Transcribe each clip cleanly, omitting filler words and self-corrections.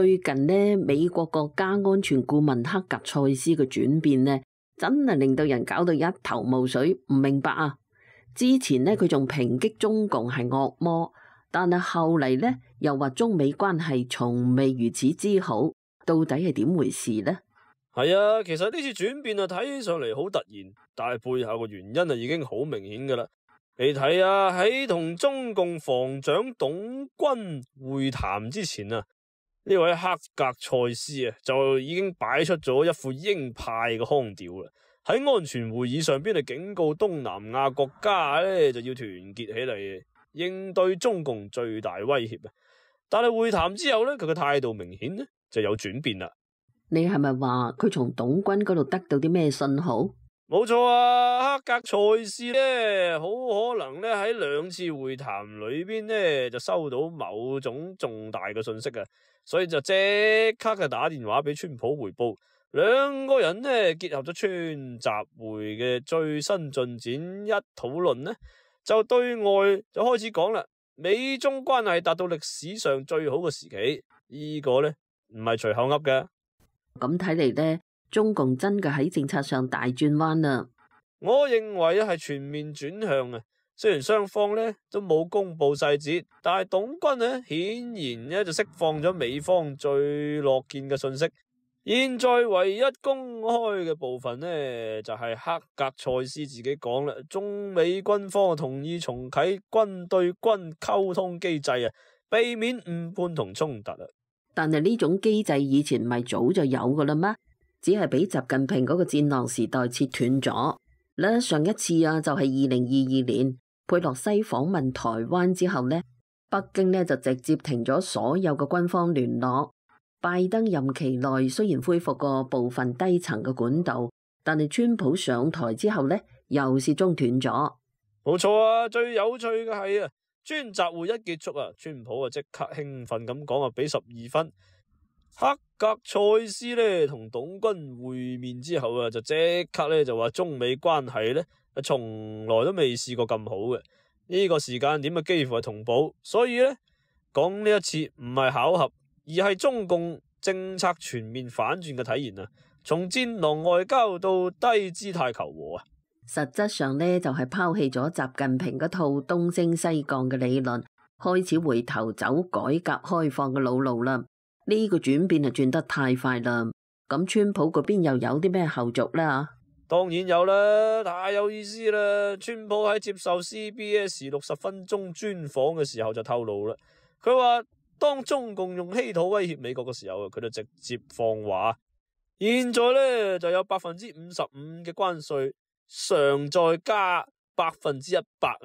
最近呢，美國國家安全顧問克格塞斯嘅轉變呢，真係令到人搞到一頭霧水，唔明白啊！之前呢，佢仲抨擊中共係惡魔，但係後嚟呢，又話中美關係從未如此之好，到底係點回事呢？係啊，其實呢次轉變啊，睇起上嚟好突然，但係背後嘅原因啊，已經好明顯噶啦。你睇啊，喺同中共防長董軍會談之前啊，呢位克格塞斯啊，就已經擺出咗一副鷹派嘅腔調啦。喺安全會議上邊嚟警告東南亞國家咧，就要團結起嚟應對中共最大威脅啊。但係會談之後咧，佢嘅態度明顯咧就有轉變啦。你係咪話佢從董軍嗰度得到啲咩信號？冇錯啊，克格塞斯咧，好可能咧喺兩次會談裏邊咧就收到某種重大嘅信息啊，所以就即刻就打電話俾川普回報，兩個人呢結合咗川習會嘅最新進展一討論呢，就對外就開始講啦，美中關係達到歷史上最好嘅時期，呢個呢唔係隨口噏嘅。咁睇嚟呢，中共真嘅喺政策上大轉彎啦。我認為係全面轉向啊。雖然雙方呢都冇公布細節，但係董軍呢顯然呢就釋放咗美方最樂見嘅信息。現在唯一公開嘅部分呢，就係克格塞斯自己講啦，中美軍方同意重啟軍對軍溝通機制啊，避免誤判同衝突啊。但係呢種機制以前唔係早就有噶啦咩？只係俾習近平嗰個戰狼時代切斷咗咧。上一次啊，就係2022年佩洛西訪問台灣之後呢，北京呢就直接停咗所有嘅軍方聯絡。拜登任期內雖然恢復過部分低層嘅管道，但係川普上台之後呢，又是中斷咗。冇錯啊，最有趣嘅係啊，川習會一結束啊，川普啊即刻興奮咁講啊，俾12分。克格塞斯呢同董軍會面之後啊，就即刻呢就話中美關係呢從來都未試過咁好嘅，呢個時間點啊幾乎係同步，所以呢講呢一次唔係巧合，而係中共政策全面反轉嘅體現啊！從戰狼外交到低姿態求和啊！實質上呢，就係拋棄咗習近平嗰套東升西降嘅理論，開始回頭走改革開放嘅老路啦。呢個轉變係轉得太快啦。咁川普嗰邊又有啲咩後續呢？當然有啦，太有意思啦！川普喺接受 CBS 60分鐘專訪嘅時候就透露啦，佢話當中共用稀土威脅美國嘅時候，佢就直接放話，現在呢就有55%嘅關稅，常再加100%啊！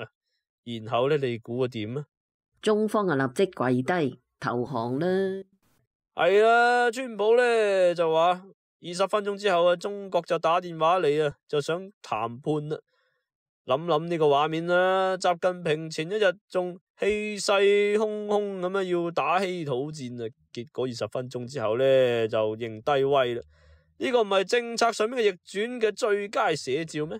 然後呢，你估個點啊？中方啊立即跪低投降啦！係啦，川普呢就話20分鐘之後啊，中國就打電話嚟啊，就想談判啦。諗呢個畫面啦，習近平前一日仲氣勢洶洶咁樣要打稀土戰啊，結果20分鐘之後呢，就認低威啦。呢個唔係政策上面嘅逆轉嘅最佳寫照咩？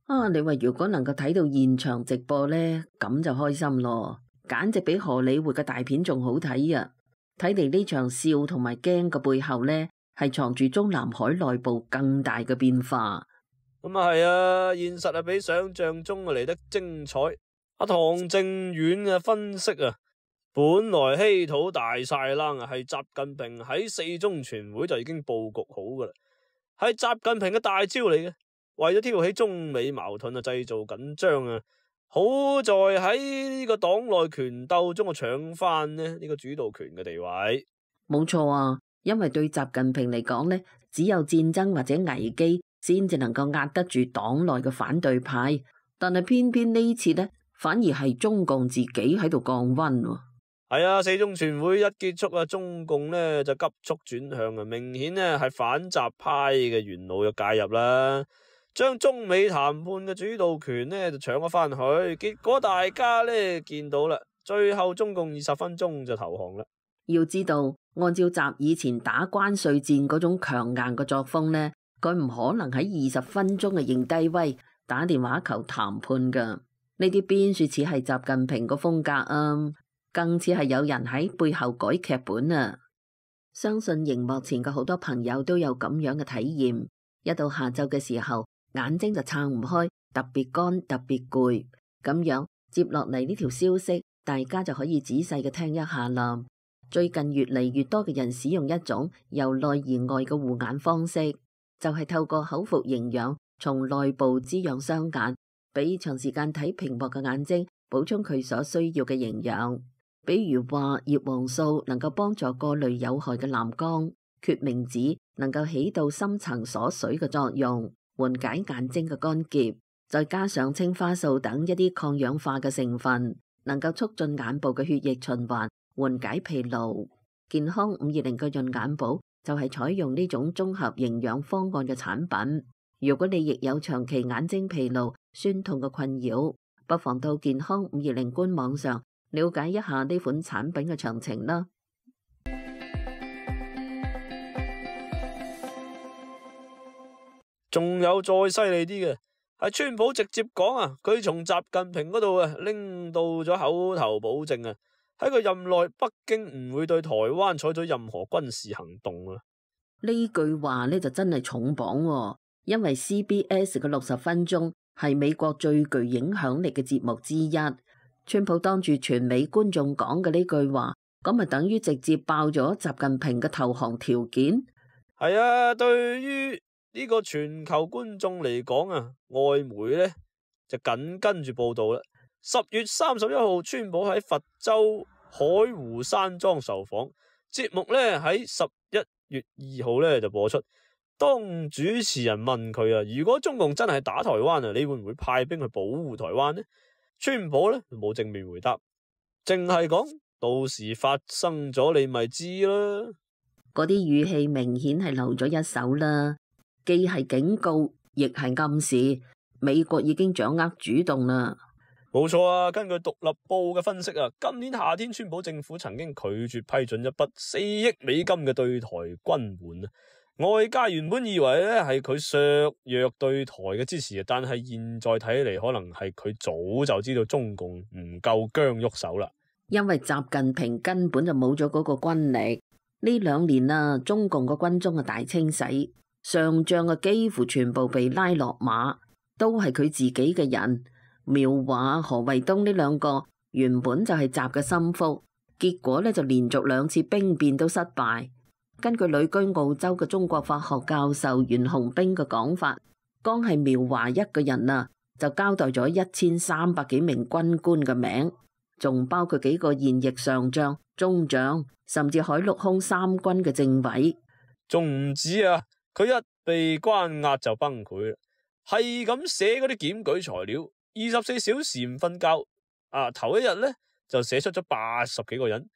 啊，你話如果能夠睇到現場直播呢，咁就開心咯，簡直比荷里活嘅大片仲好睇啊！睇嚟呢場笑同埋驚嘅背後呢，係藏住中南海內部更大嘅變化。咁啊係啊，現實係比想象中嚟得精彩。阿唐正遠嘅分析啊，本來稀土大晒冷啊，係習近平喺4中全會就已經布局好噶啦，係習近平嘅大招嚟嘅，為咗挑起中美矛盾啊，製造緊張啊。好在喺呢個黨內權鬥中啊，搶翻呢個主導權嘅地位。冇錯啊，因為對習近平嚟講呢，只有戰爭或者危機先至能夠壓得住黨內嘅反對派，但係偏偏呢次呢，反而係中共自己喺度降溫。係啊，4中全會一結束啊，中共呢就急速轉向啊，明顯呢係反習派嘅元老就介入啦，將中美談判嘅主導權呢就搶咗翻去，結果大家呢見到啦，最後中共20分鐘就投降啦。要知道，按照習以前打關稅戰嗰種強硬嘅作風呢，佢唔可能喺20分鐘嘅認低威打電話求談判噶。呢啲邊說似係習近平個風格啊，更似係有人喺背後改劇本啊。相信熒幕前嘅好多朋友都有咁樣嘅體驗，一到下晝嘅時候，眼睛就撐唔開，特別乾，特別攰。咁樣接落嚟呢條消息，大家就可以仔細嘅聽一下啦。最近越嚟越多嘅人使用一種由內而外嘅護眼方式，就係透過口服營養，從內部滋養雙眼，俾長時間睇屏幕嘅眼睛補充佢所需要嘅營養。比如話葉黃素能夠幫助過濾有害嘅藍光，決明子能夠起到深層鎖水嘅作用，緩解眼睛嘅乾澀，再加上青花素等一啲抗氧化嘅成分，能夠促進眼部嘅血液循環，緩解疲勞。健康520嘅潤眼寶就係採用呢種綜合營養方案嘅產品。如果你亦有長期眼睛疲勞、酸痛嘅困擾，不妨到健康520官網上了解一下呢款產品嘅詳情啦。仲有再犀利啲嘅，係川普直接講啊，佢從習近平嗰度啊拎到咗口頭保證啊，喺佢任內北京唔會對台灣採取任何軍事行動啊。呢句話呢就真係重磅喎，因為 CBS 嘅60分鐘係美國最具影響力嘅節目之一。川普當住全美觀眾講嘅呢句話，咁咪等於直接爆咗習近平嘅投降條件。係啊，對於呢個全球觀眾嚟講啊，外媒呢就緊跟住報道啦。10月31號，川普喺佛州海湖山莊受訪，節目呢喺11月2號呢就播出。當主持人問佢啊，如果中共真係打台灣啊，你會唔會派兵去保護台灣呢？川普呢冇正面回答，淨係講到時發生咗你咪知啦。嗰啲語氣明顯係漏咗一手啦，既係警告，亦係暗示美國已經掌握主動啦。冇錯啊，根據獨立報嘅分析啊，今年夏天川普政府曾經拒絕批准一筆4億美金嘅對台軍援啊。外界原本以為咧係佢削弱對台嘅支持，但係現在睇嚟，可能係佢早就知道中共唔夠薑喐手啦。因為習近平根本就冇咗嗰個軍力，呢2年啊，中共個軍中嘅大清洗，上將嘅幾乎全部被拉落馬，都係佢自己嘅人。苗華、何衛東呢2個原本就係習嘅心腹，結果呢就連續2次兵變都失敗。根據旅居澳洲嘅中國法學教授袁洪兵嘅講法，光係苗華一個人啊，就交代咗1300幾名軍官嘅名，仲包括幾個現役上將、中將，甚至海陸空3軍嘅政委。仲唔止啊，佢一被關押就崩潰啦，係咁寫嗰啲檢舉材料，24小時唔瞓覺。頭一日呢，就寫出咗80幾個人。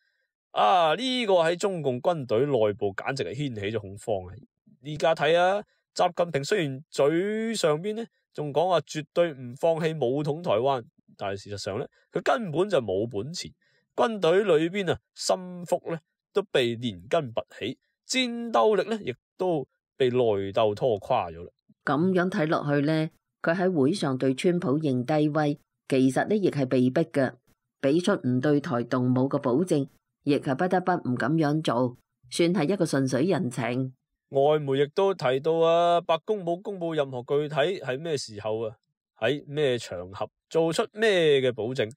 呢個喺中共軍隊內部簡直係掀起咗恐慌啊！而家睇啊，習近平雖然嘴上邊呢仲講話絕對唔放棄武統台灣，但係事實上呢，佢根本就冇本錢。軍隊裏邊心腹呢都被連根拔起，戰鬥力呢亦都被內鬥拖垮咗啦。咁樣睇落去呢，佢喺會上對川普認低威，其實呢亦係被逼嘅，俾出唔對台動武嘅保證。亦係不得不唔咁樣做，算係一個順水人情。外媒亦都提到啊，白宮冇公布任何具體係咩時候啊，喺咩場合做出咩嘅保證，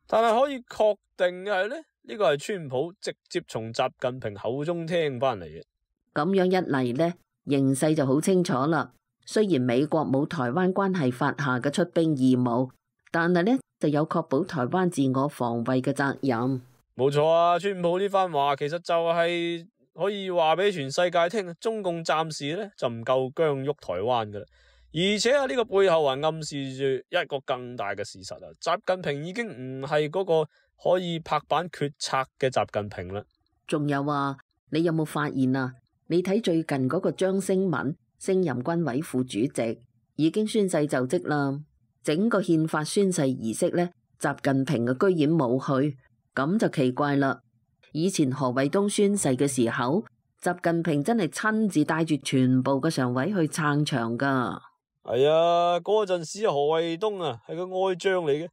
但係可以確定嘅係咧，呢個係川普直接從習近平口中聽翻嚟嘅。咁樣一嚟呢，形勢就好清楚啦。雖然美國冇台灣關係法下嘅出兵義務，但係呢就有確保台灣自我防衛嘅責任。冇錯啊，川普呢番話其實就係可以話俾全世界聽，中共暫時咧就唔夠薑喐台灣噶啦，而且呢個背後還暗示住一個更大嘅事實啊，習近平已經唔係嗰個可以拍板決策嘅習近平啦。仲有啊，你有冇發現啊？你睇最近嗰個張星文升任軍委副主席，已經宣誓就職啦。整個憲法宣誓儀式咧，習近平居然冇去。咁就奇怪啦！以前何衛東宣誓嘅時候，習近平真係親自帶住全部嘅常委去撐場噶。係啊，嗰陣時何衛東係個愛將嚟嘅。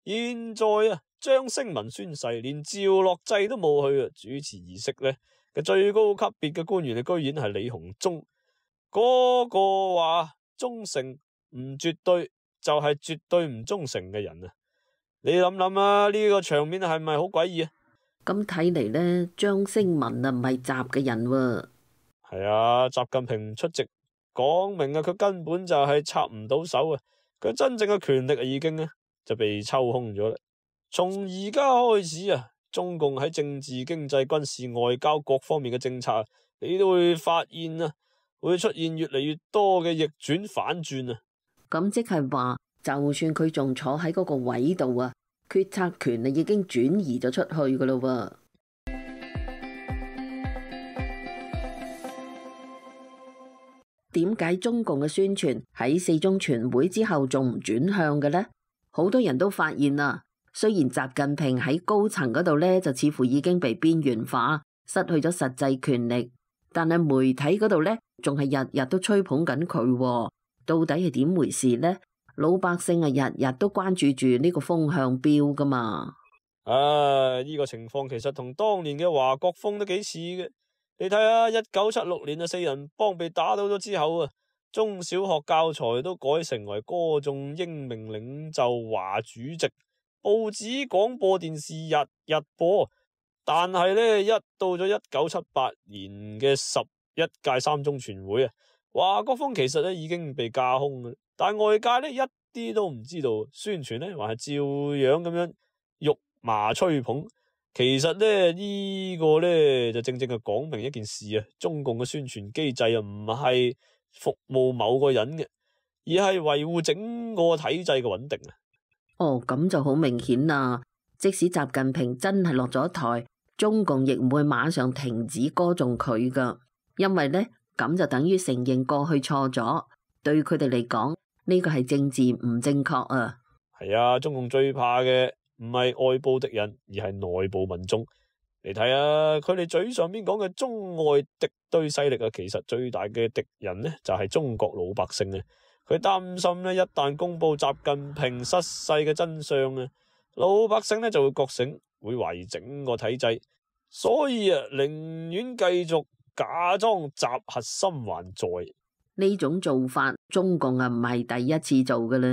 現在張星文宣誓，連趙樂際都冇去主持儀式呢，嘅最高級別嘅官員，居然係李鴻忠。嗰個話忠誠唔絕對，就係絕對唔忠誠嘅人啊！你諗諗啊，呢個場面係咪好詭異啊？咁睇嚟呢，張星文啊唔係習嘅人喎。係啊，習近平出席講明啊，佢根本就係插唔到手啊！佢真正嘅權力已經就被抽空咗啦。從而家開始啊，中共喺政治、經濟、軍事、外交各方面嘅政策，你都會發現啊，會出現越嚟越多嘅逆轉反轉啊！咁即係話，就算佢仲坐喺嗰個位度啊，決策權啊已經轉移咗出去噶咯喎。點解中共嘅宣傳喺四中全會之後仲唔轉向嘅呢？好多人都發現啊，雖然習近平喺高層嗰度呢，就似乎已經被邊緣化，失去咗實際權力，但係媒體嗰度呢，仲係日日都吹捧緊佢喎。到底係點回事呢？老百姓啊，日日都關注住呢個風向標噶嘛。呢個情況其實同當年嘅華國鋒都幾似嘅。你睇下1976年啊，四人幫被打倒咗之後啊，中小學教材都改成為歌頌英明領袖華主席，報紙、廣播電視日日播。但係呢，一到咗1978年嘅11屆三中全會啊，華國鋒其實已經被架空嘅，但外界一啲都唔知道，宣傳還係照樣咁樣辱罵吹捧。其實呢個就正正係講明一件事啊，中共嘅宣傳機制唔係服務某個人嘅，而係維護整個體制嘅穩定啊。哦，咁就好明顯啦。即使習近平真係落咗台，中共亦唔會馬上停止歌頌佢噶，因為呢，咁就等於承認過去錯咗，對佢哋嚟講呢個係政治唔正確啊。係啊，中共最怕嘅唔係外部敵人，而係內部民眾。你睇下佢哋嘴上邊講嘅中外敵對勢力啊，其實最大嘅敵人呢，就係中國老百姓啊。佢擔心呢，一旦公布習近平失勢嘅真相啊，老百姓呢就會覺醒，會懷疑整個體制，所以啊，寧願繼續假裝習核心還在。呢種做法，中共啊唔係第一次做噶啦。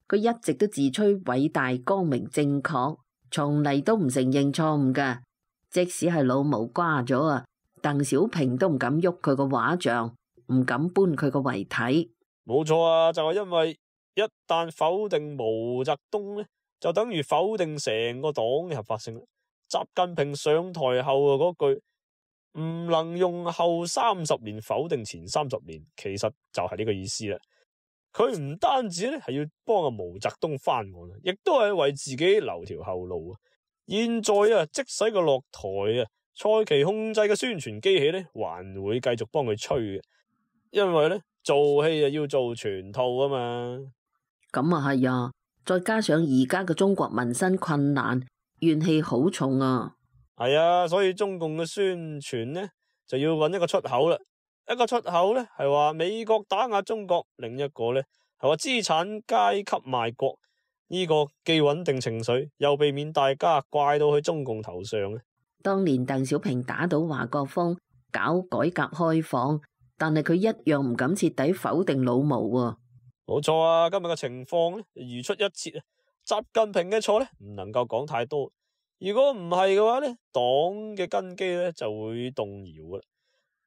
佢一直都自吹偉大、光明、正確，從嚟都唔承認錯誤噶。即使係老毛瓜咗啊，鄧小平都唔敢喐佢個畫像，唔敢搬佢個遺體。冇錯啊，就係因為一旦否定毛澤東呢，就等於否定成個黨嘅合法性。習近平上台後嗰句唔能用後30年否定前30年，其實就係呢個意思啦。佢唔單止係要幫阿毛澤東翻案，亦都係為自己留條後路啊。現在啊，即使佢落台啊，蔡奇控制嘅宣傳機器呢，還會繼續幫佢吹嘅，因為呢，做戲啊要做全套啊嘛。咁啊係啊，再加上而家嘅中國民生困難，怨氣好重啊。係啊，所以中共嘅宣傳呢，就要揾一個出口啦。一個出口呢，係話美國打壓中國，另一個呢，係話資產階級賣國。呢個既穩定情緒，又避免大家怪到去中共頭上。當年鄧小平打倒華國鋒，搞改革開放，但係佢一樣唔敢徹底否定老毛喎。冇錯啊，今日嘅情況呢，如出一轍啊。習近平嘅錯呢，唔能夠講太多。如果唔係嘅話呢，黨嘅根基呢就會動搖噶啦。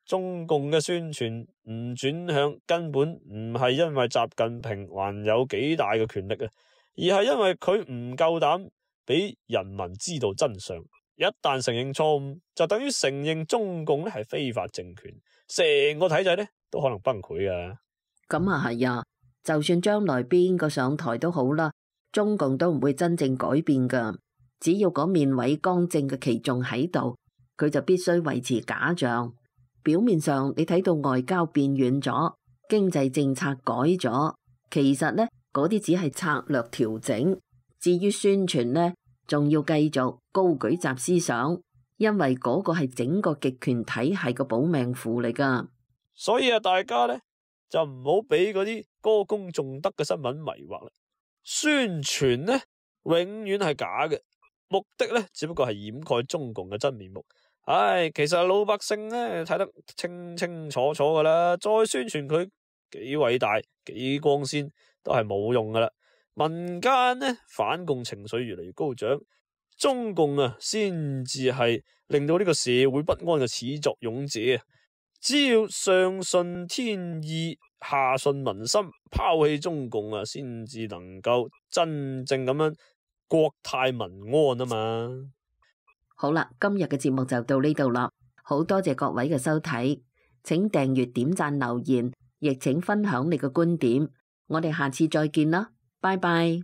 中共嘅宣傳唔轉向，根本唔係因為習近平還有幾大嘅權力啊，而係因為佢唔夠膽俾人民知道真相。一旦承認錯誤，就等於承認中共呢係非法政權，成個體制呢都可能崩潰噶。咁啊係啊，就算將來邊個上台都好啦，中共都唔會真正改變噶。只要嗰面偉光正嘅旗仲喺度，佢就必須維持假象。表面上你睇到外交變軟咗，經濟政策改咗，其實呢嗰啲只係策略調整。至於宣傳呢，仲要繼續高舉習思想，因為嗰個係整個極權體系嘅保命符嚟噶。所以啊，大家呢就唔好俾嗰啲歌功頌德嘅新聞迷惑啦。宣傳呢永遠係假嘅，目的呢只不過係掩蓋中共嘅真面目。唉，其實老百姓呢睇得清清楚楚噶啦，再宣傳佢幾偉大、幾光鮮都係冇用噶啦。民間呢反共情緒越嚟越高漲，中共啊先至係令到呢個社會不安嘅始作俑者。只要上順天意，下順民心，拋棄中共啊，先至能夠真正咁樣國泰民安啊嘛。好啦，今日嘅節目就到呢度啦，好多謝各位嘅收睇，請訂閱、點讚、留言，亦請分享你嘅觀點，我哋下次再見啦，拜拜。